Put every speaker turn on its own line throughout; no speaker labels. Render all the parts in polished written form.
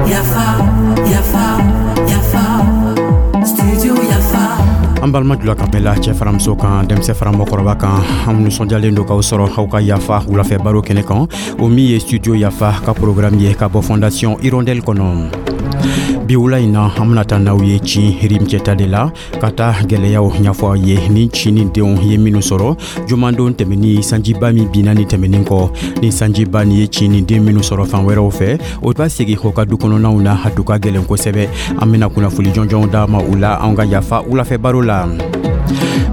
Yafa, yafa, yafa, studio Yafa.
An balima jula kan bɛɛ la, cɛ fara muso kan, denmisɛn fara mɔgɔkɔrɔba kan, an nisɔndiyalen don k'aw sɔrɔ aw ka Yafa wulafɛ baro kɛnɛ kan, o min ye Studio Yafa ka programme ye ka bɔ Fondation Hirondelle kɔnɔ. Bi wula in na, an bena taa n'aw ye Cin Rimcɛta de la ka taa gwɛlɛyaw ɲɛfɔ aw ye ni ci ni denw ye minnu sɔrɔ jumadon tɛmɛni, sanjiba min binna ni tɛmɛnin kɔ. Ni sanjiba ni ye ci ni den minnu sɔrɔ fan wɛrɛw fɛ, o b'a segi o ka du kɔnɔnaw na, a du ka gwɛlɛn kosɛbɛ. An bena kunnafoli jɔnjɔnw d'a ma u la an ka Yafa wulafɛ baro la.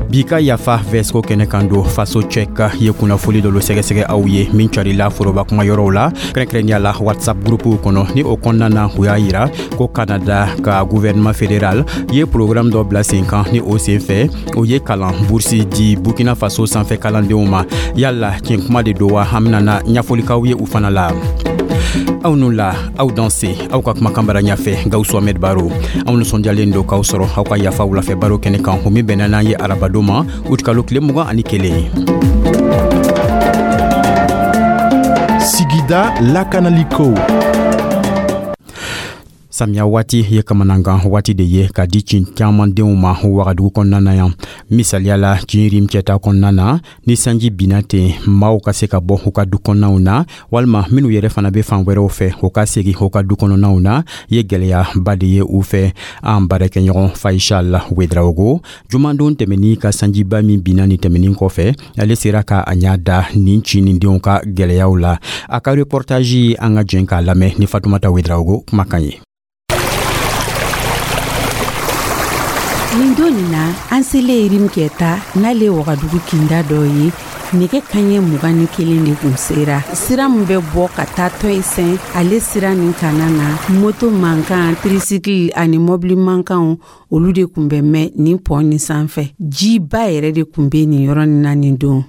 Bi ka Yafa vɛsko kɛnɛ kan don, Faso Cɛk ye kunnafoli dɔ sɛgɛsɛgɛ aw ye min carila foroba kuma yɔrɔw la, kɛrɛnkɛrɛnya la WhatsApp groupew kɔnɔ. Ni o kɔnɔna na, u y'a yira ko Canada ka gouvernement fédéral ye programme dɔ bila sen kan, ni o sen fɛ o ye kalan bourse di Burkina Faso sanfɛ kalandenw ma. Yala tiɲɛ kuma de don wa? An benana ɲɛfɔlikaw ye u fana la. Aw nu la, aw danse, aw ka kumakan bara ɲafɛ, Gawusu Ahmed Baro. Anw nisɔndiyalen don k'aw sɔrɔ aw ka Yafa wulafɛ baro kɛnɛ kan, o min bɛnna n'an ye arabadon ma, utikalo tile 21.
Sigida lakanaliko.
Samiya waati ye kamanangan waati de ye ka di cin caman denw ma Wagadugu kɔnɔna na yan. Misaliya la, Cin Rimcɛta kɔnɔna na, ni sanji binna ten, maaw ka se ka bɔ u ka du kɔnɔnaw na, walima minnu yɛrɛ fana bɛ fan wɛrɛw fɛ, u ka segin u ka du kɔnɔnaw na, ye gwɛlɛyaba de ye u fɛ. An baarakɛɲɔgɔn Faisal Wedraogo, jumadon tɛmɛni ka sanjiba min binna ni tɛmɛnin kɔfɛ, ale sera ka a ɲa da nin ci nin denw ka gwɛlɛyaw la. A ka reportage, an ka jɛn k'a lamɛn ni Fatumata Wedraogo kumakan ye.
Nin don nin na, an selen Rimkɛta, n'ale Wagadugu kinda dɔ ye, nɛgɛ kaɲɛ 21 de kun sera. Sira min bɛ bɔ ka taa Tɔyisɛn, ale sira nin kana na, moto mankan, tricycle ani mɔbili mankanw, olu de kun bɛ mɛn nin pɔn nin sanfɛ. Jiba yɛrɛ de kun bɛ nin yɔrɔ nin na nin don.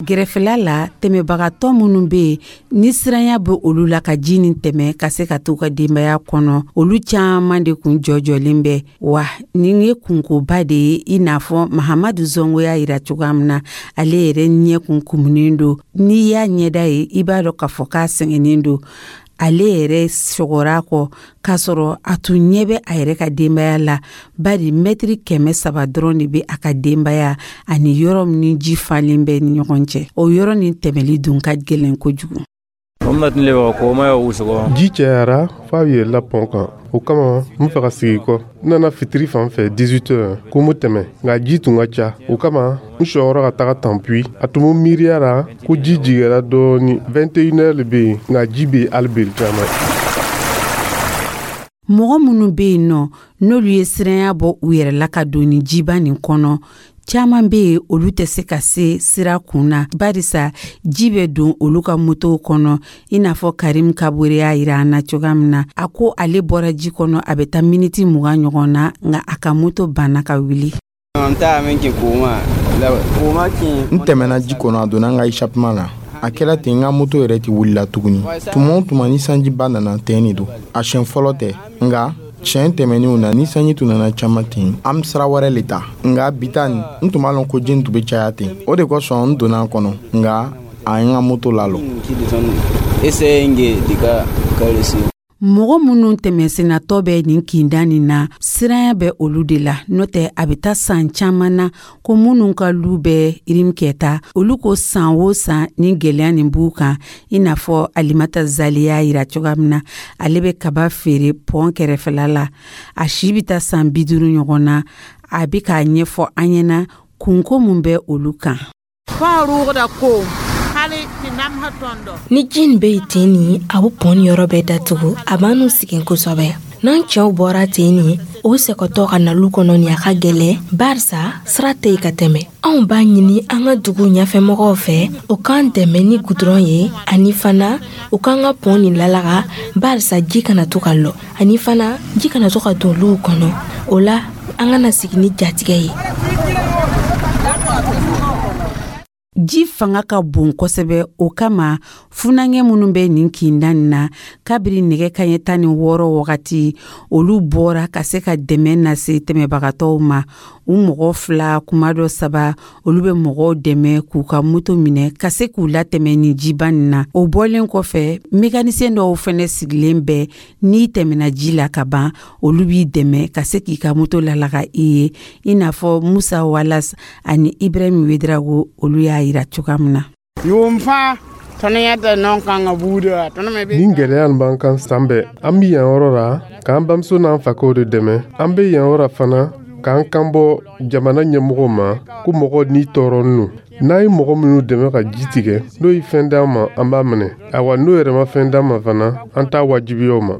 Gɛrɛfɛla la, tɛmɛbagatɔ minnu bɛ yen ni siranya bɛ olu la ka ji nin tɛmɛ ka se ka t'u ka denbaya kɔnɔ, olu caman de kun jɔjɔlen bɛ. Wa nin ye kunkoba de ye, i n'a fɔ Mahamadu Zongo y'a yira cogoya min na, ale yɛrɛ ɲɛ kun kumunen don. N'i y'a ɲɛda ye, i b'a dɔn k'a fɔ k'a sɛgɛnnen don. Ale yɛrɛ sɔgɔra kɔ k'a sɔrɔ a tun ɲɛ bɛ a yɛrɛ ka denbaya la, bari mɛtiri 300 dɔrɔn de bɛ a ka denbaya ani yɔrɔ min ni ji falen bɛ ni ɲɔgɔn cɛ. O yɔrɔ nin tɛmɛli dun ka gɛlɛn kojugu.
Ji cayara f'a yɛlɛla pɔn kan, o kama n fɛ ka sigi kɔ. N nana fitiri fan fɛ 18 heures ko n bɛ tɛmɛ, nka ji tun ka ca, o kama n sɔrɔla ka taga Tanpuyi. A tun bɛ miiriya la ko ji jiginra dɔɔni. 21 heures le bɛ yen, nka ji bɛ yen hali bi caman.
Mɔgɔ minnu bɛ yen nɔ, n'olu ye siranya bɔ u yɛrɛ la ka don nin jiba nin kɔnɔ, caman bɛ yen, olu tɛ se ka se sira kun na, barisa ji bɛ don olu ka motow kɔnɔ, i n'a fɔ Karim Kabore y'a yira an na cogoya min na. A ko ale bɔra ji kɔnɔ, a bɛ taa miniti 20 ɲɔgɔn na, nka a ka moto banna ka wuli.
N tɛmɛna ji kɔnɔ, a donna n ka échappement la. A kɛra ten, n ka moto yɛrɛ tɛ wulila tuguni. Tuma o tuma ni sanjiba nana, ten de don. A siɲɛ fɔlɔ tɛ, nka siɲɛ tɛmɛnenw na, ni sanji tun nana caman ten, an bɛ sira wɛrɛ le ta. Nka bi ta nin, n tun b'a lɔn ko ji nin tun bɛ caya ten, o de kosɔn n donna a kɔnɔ, nka a ye n ka moto lalɔ.
Mɔgɔ minnu tɛmɛsennatɔ bɛ nin kinda nin na, siranya bɛ olu de la. N'o tɛ, a bɛ taa san caman na ko minnu ka lu bɛ Rimkɛta, olu ko san o san ni gɛlɛya nin b'u kan, i n'a fɔ Alimata Zali y'a yira cogoya min na. Ale bɛ kaba feere pɔn kɛrɛfɛla la. A si bɛ taa san 50 ɲɔgɔn na. A bɛ k'a ɲɛfɔ an ɲɛna kunko mun bɛ olu kan.
Ni ji nin bɛ yen ten nin, a bɛ pɔn yɔrɔ bɛɛ datugu, a b'an n'u sigi kosɛbɛ. N'an cɛw bɔra ten nin, o sɛgɛtɔ ka na lu kɔnɔ nin, a ka gɛlɛn, barisa sira tɛ yen ka tɛmɛ. Anw b'a ɲini an ka dugu ɲɛfɛmɔgɔw fɛ, u k'an dɛmɛ ni gudɔrɔn ye, ani fana u k'an ka pɔn nin lalaga, barisa ji kana to ka lɔ, ani fana ji kana to ka don luw kɔnɔ. O la an kana sigi ni jatigɛ ye.
Ji fanga ka bon kosɛbɛ, o kama funankɛ minnu bɛ nin kinda nin na, kabiri nɛgɛ kaɲɛ 16 wagati, olu bɔra ka se ka dɛmɛ lase tɛmɛbagatɔw ma. U mɔgɔ fila, kuma dɔ saba, olu bɛ mɔgɔw dɛmɛ k'u ka moto minɛ ka se k'u latɛmɛ nin jiba nin na. O bɔlen kɔfɛ, mécanicien dɔw fɛnɛ sigilen bɛ, n'i tɛmɛna ji la ka ban, olu b'i dɛmɛ ka se k'i ka moto lalaga i ye, i n'a fɔ Musa Walas ani Ibrahim Wedrago, olu y'a yira cogoya min na.
Nin gɛlɛya nin b'an kan san bɛɛ. An bi yan yɔrɔ la k'an bamuso n'an fakɛw de dɛmɛ. An be yan yɔrɔ fana k'an kan bɔ jamana ɲɛmɔgɔw ma ko mɔgɔ ni tɔɔrɔnin lo. N'a ye mɔgɔ minnu dɛmɛ ka ji tigɛ, n'o ye fɛn d'an ma, an b'a minɛ. Awa, n'o yɛrɛ ma fɛn d'an ma fana, an t'a wajibiya o ma.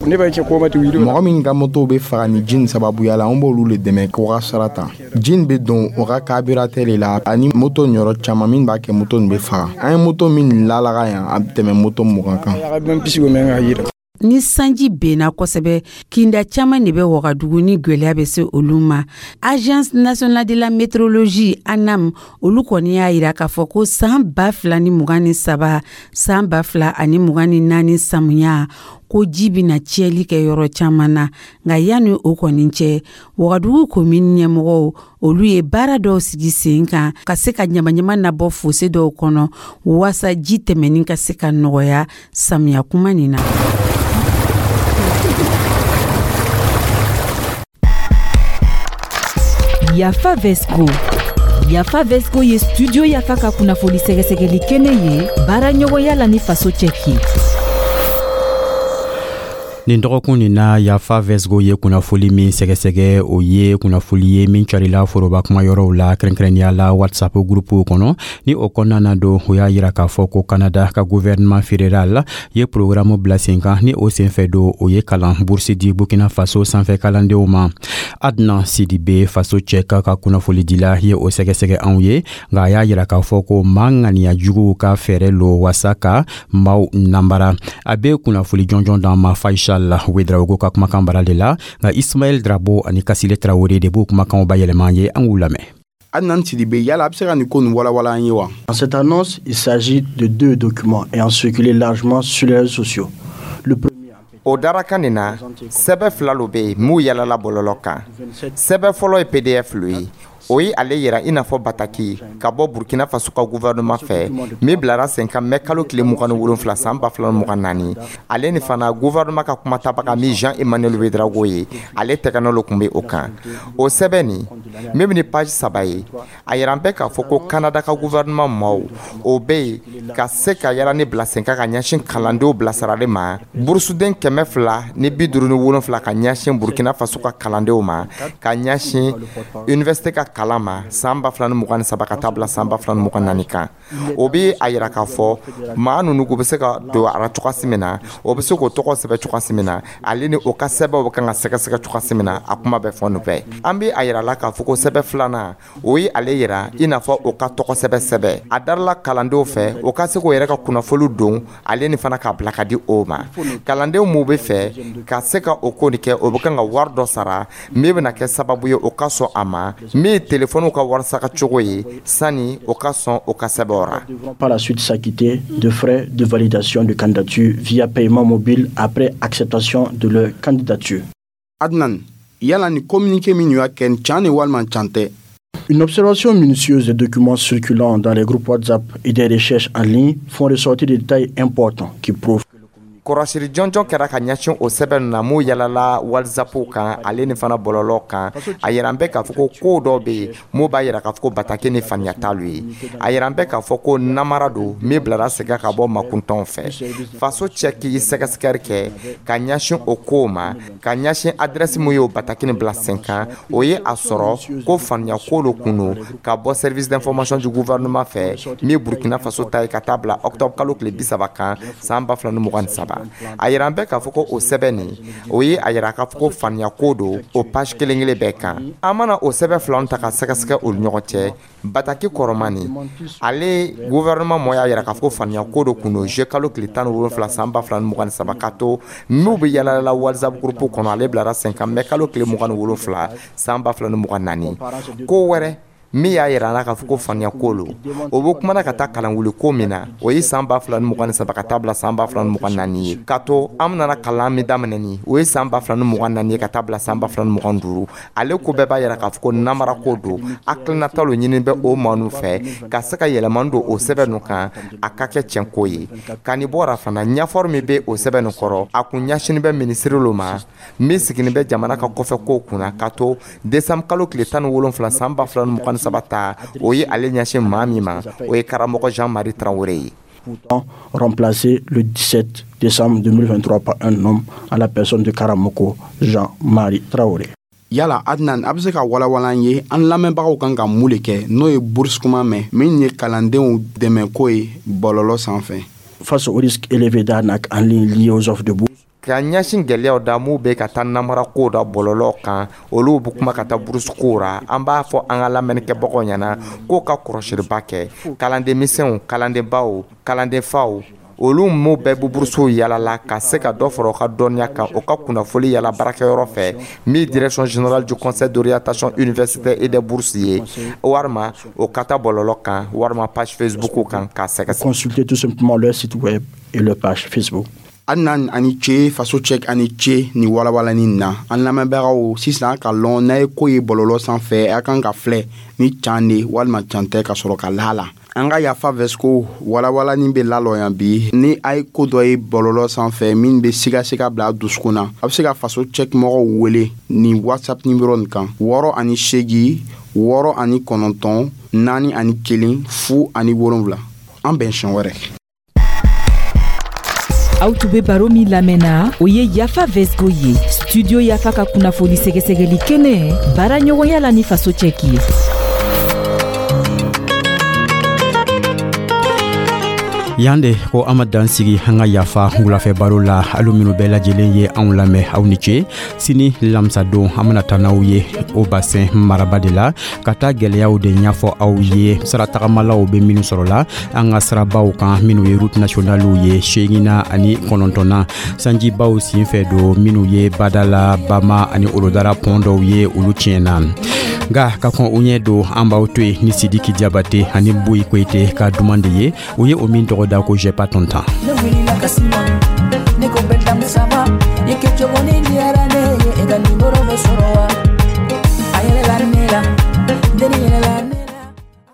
Mɔgɔ min ka moto bɛ faga ni ji nin sababuya la, an b'olu le dɛmɛ k'o ka sara ta. Ji nin bɛ don o ka carburant de la ani moto yɔrɔ caman min b'a kɛ moto nin bɛ faga. An ye moto min lalaga yan, a bɛ tɛmɛ moto 20 kan.
Ni sanji benna kosɛbɛ, kinda caman de bɛ Wagadugu ni gwɛlɛya bɛ se olu ma. Agence nationale de la météorologie, ANAM, olu kɔni y'a yira k'a fɔ ko san 2023, san 2024 samiya, ko ji bɛna tiɲɛli kɛ yɔrɔ caman na. Nka yanni o kɔni cɛ, Wagadugu komini ɲɛmɔgɔw, olu ye baara dɔw sigi sen kan ka se ka ɲamaɲama nabɔ fosse dɔw kɔnɔ, waasa ji tɛmɛni ka se ka nɔgɔya samiya kuma nin na.
Yafa Vesco. Yafa Vesco ye studio Yafa ka kunnafoni sɛgɛsɛgɛli kɛnɛ ye, baara ɲɔgɔnya la ni Faso Cɛki.
Nin dɔgɔkun nin na, Yafa Vesgo ye kunnafoli min sɛgɛsɛgɛ, o ye kunnafoli ye min carila foroba kumayɔrɔw la, kɛrɛnkɛrɛnnenya la WhatsApp gurupuw kɔnɔ. Ni o kɔnɔna na don, o y'a yira k'a fɔ ko Kanada ka gouvernement fédéral ye programme bila sen kan. Ni o senfɛ don, o ye kalan bourse di Burkina Faso sanfɛ kalandenw ma. Adnan Sidibe, Faso cɛ ka kunnafolidila ye o sɛgɛsɛgɛ anw ye. Nka a y'a yira k'a fɔ ko maa ŋaniya juguw ka fɛɛrɛ lo wasa ka maaw nanbara. A bɛ kunnafoli jɔnjɔn d'an ma Faisal Wedraogo ka kumakan bara de la. Nka Ismaɛl Drabo ani Kasile Tarawele de b'o kumakanw bayɛlɛma ye, an k'u lamɛn.
Adnan Sidibe, yala a bɛ se ka nin ko nin walawala an ye wa?
Dans cette annonce, il s'agit de deux documents ayant circulé largement sur les réseaux sociaux. Le premier
O darakan nin na, sɛbɛ fila lo bɛ yen m'u yalala bɔlɔlɔ kan. Sɛbɛ fɔlɔ ye PDF lo ye. O ye ale yira i n'a fɔ bataki ka bɔ Burkina Faso ka gouvernement fɛ min bilara sen kan mɛ kalo tile 27 san 2024. Ale ni fana, gouvernement ka kumatabaga min Jean Emmanuel Ouedraogo ye, ale tɛgɛnɔ lo tun bɛ o kan. O sɛbɛn nin min bɛ ni page 3 ye, a yira bɛ k'a fɔ ko Kanada ka gouvernement maaw o bɛ yen ka se ka yala ni bila sen kan ka ɲɛsin kalandenw bilasirali ma, burusuden 257 ka ɲɛsin Burkina Faso ka kalandenw ma, ka ɲɛsin université ka kalan ma san 2023 ka taa bila san 2024 kan. O bɛ a yira k'a fɔ maa ninnu k'u bɛ se ka don a la cogoya min na, o bɛ se k'o tɔgɔ sɛbɛn cogoya min na, ale ni o ka sɛbɛnw bɛ kan ka sɛgɛsɛgɛ cogoya min na, a kuma bɛ fɔ nin bɛɛ. An bɛ a yira la k'a fɔ ko sɛbɛn filanan, o ye ale yira i n'a fɔ o ka tɔgɔ sɛbɛn sɛbɛn a darila kalandenw fɛ, o ka se k'o yɛrɛ ka kunnafoni don, ale ni fana k'a bila ka di o ma. Kalandenw m'u bɛ fɛ ka se ka o ko nin kɛ, o bɛ kan ka wari dɔ sara min bɛna kɛ sababu ye o ka sɔn a ma, min ye telefɔniw ka warisaka cogo ye, sani o ka sɔn o ka sɛbɛnw ra.
Par la suite s'acquitter de frais de validation de candidature via paiement mobile après acceptation de leur candidature.
Adnan, yala ni communiqué min y'a kɛ, can ni walima can tɛ?
Une observation minutieuse des documents circulant dans les groupes WhatsApp et des recherches en ligne font ressortir des détails importants qui prouvent
Kɔrɔsiri jɔnjɔn kɛra ka ɲɛsin o sɛbɛn na m'u yalala WhatsApp kan, ale ni fana bɔlɔlɔ kan. A yira bɛ k'a fɔ ko ko dɔw bɛ yen m'u b'a yira k'a fɔ ko bataki ni faniya t'alu ye. A yira bɛ k'a fɔ ko namara don min bilara segin ka bɔ makuntɔnw fɛ. Faso cɛ k'i sɛgɛsɛgɛli kɛ ka ɲɛsin o kow ma, ka ɲɛsin adresse mun y'o bataki nin bila sen kan, o ye a sɔrɔ ko faniya ko dɔ kun don ka bɔ service d'information du gouvernement fɛ min Burkina Faso ta ye, ka taa bila octobre kalo tile 30 kan san 2023. A yira bɛ k'a fɔ ko o sɛbɛn nin, o ye a yira k'a fɔ ko faniya ko don o page kelen kelen bɛɛ kan. An mana o sɛbɛn filaw ta ka sɛgɛsɛgɛ olu ɲɔgɔn cɛ, bataki kɔrɔma nin, ale gouvernement mɔ y'a yira k'a fɔ ko faniya ko dɔ kun don juillet kalo tile 17 san 2023, ka to n'u bɛ yala WhatsApp groupe kɔnɔ, ale bilara sen kan mɛ kalo tile 27 san 2024. Ko wɛrɛ Min y'a yira an na k'a fɔ ko faniya ko lo, o bɛ kumana ka taa kalanwuli ko min na, o ye san 2023 ka taa bila san 2024 ye. K'a to an nana kalan min daminɛ ni o ye san 2024 ye ka taa bila san 2025, ale ko bɛɛ b'a yira k'a fɔ ko namara ko don. Hakilinata lo ɲini bɛ o maa nu fɛ ka se ka yɛlɛmani don o sɛbɛn nu kan, a ka kɛ tiɲɛ ko ye. Ka nin bɔra fana, ɲɛfɔri min bɛ o sɛbɛn nin kɔrɔ, a kun ɲɛsinin bɛ minisiri lo ma min siginin bɛ jamana ka kɔfɛ kow kunna. Ka to décembre kalo tile 17 san 2023 ta, o ye ale ɲɛsin maa min ma, o ye karamɔgɔ Jean Marie Traoré ye.
Pourtant remplacé le 17 décembre 2023 par un homme à la personne de Karamoko Jean-Marie Traoré.
Yala Adnan, a bɛ se ka walawala an ye, an lamɛnbagaw kan ka mun le kɛ n'o ye bourse kuma mɛn, min ye kalandenw dɛmɛko ye bɔlɔlɔ sanfɛ?
Face au risque élevé d'arnaque en ligne liées aux offres de bourse,
Ka ɲɛsin gɛlɛyaw da m'u bɛ ka taa namara kow da bɔlɔlɔ kan, olu bɛ kuma ka taa bourse kow ra, an b'a fɔ an ka lamɛnnikɛbagaw ɲɛna k'o ka kɔlɔsiliba kɛ. Kalandenmisɛnw, kalandenbaw, kalandenfaw, olu m'u bɛɛ bɛ burusiw yalala ka se ka dɔ fara u ka dɔnniya kan, o ka kunnafoli yala baarakɛyɔrɔ fɛ min Direction générale du Conseil d'orientation universitaire et des bourses ye, walima o ka taa bɔlɔlɔ kan, walima page Facebook kan k'a sɛgɛsɛgɛ.
Consultez tout simplement leur site web et leur page Facebook.
Adnan, ani ce. Faso Cɛk, ani ce ni walawalani na. An lamɛnbagaw, sisan ka lɔn n'a ye ko ye bɔlɔlɔ sanfɛ, a kan ka filɛ ni can de walima can tɛ, ka sɔrɔ ka la la. An ka Yafa Vɛsiko walawalani bɛ lalɔ yan bi. Ni a ye ko dɔ ye bɔlɔlɔ sanfɛ min bɛ sigasiga bila a dusukun na, a bɛ se ka Faso Cɛk mɔgɔw wele ni WhatsApp nimero nin kan: 68 69 41 07. An bɛn siɲɛ wɛrɛ.
Aw tun be baro min lamɛnna, o ye Yafa Vesgo ye, Studio Yafa ka kunnafoni sɛgɛsɛgɛli kɛnɛ, baara ɲɔgɔnya la ni Faso Cɛki ye.
Yan de ko an ma dan sigi an ka Yafa wulafɛ baro la. Alu minnu bɛɛ lajɛlen ye anw lamɛn, aw ni ce. Sini lamisadon, an bena taa n'aw ye o basɛn maraba de la ka taa gwɛlɛyaw de ɲɛfɔ aw ye, siratagamalaw be minnu sɔrɔ la an ka sirabaw kan, minnu ye route nationaliw ye seegina ani kɔnɔntɔnna, sanjibaw sen fɛ don, minnu ye Badala, Bama ani Olodara pɔn dɔw ye, olu tiɲɛna. Nga ka kɔn o ɲɛ don, an b'aw to yen ni Sidiki Jabate ani Boyi Koyite ka duman de ye, o ye o min tɔgɔ da ko J'ai pas ton temps.
Ne wulila ka s'i ma, ne ko bɛɛ damu, ça va? I kɛcogo ni diyara ne ye, e ka nimoro bɛ sɔrɔ wa?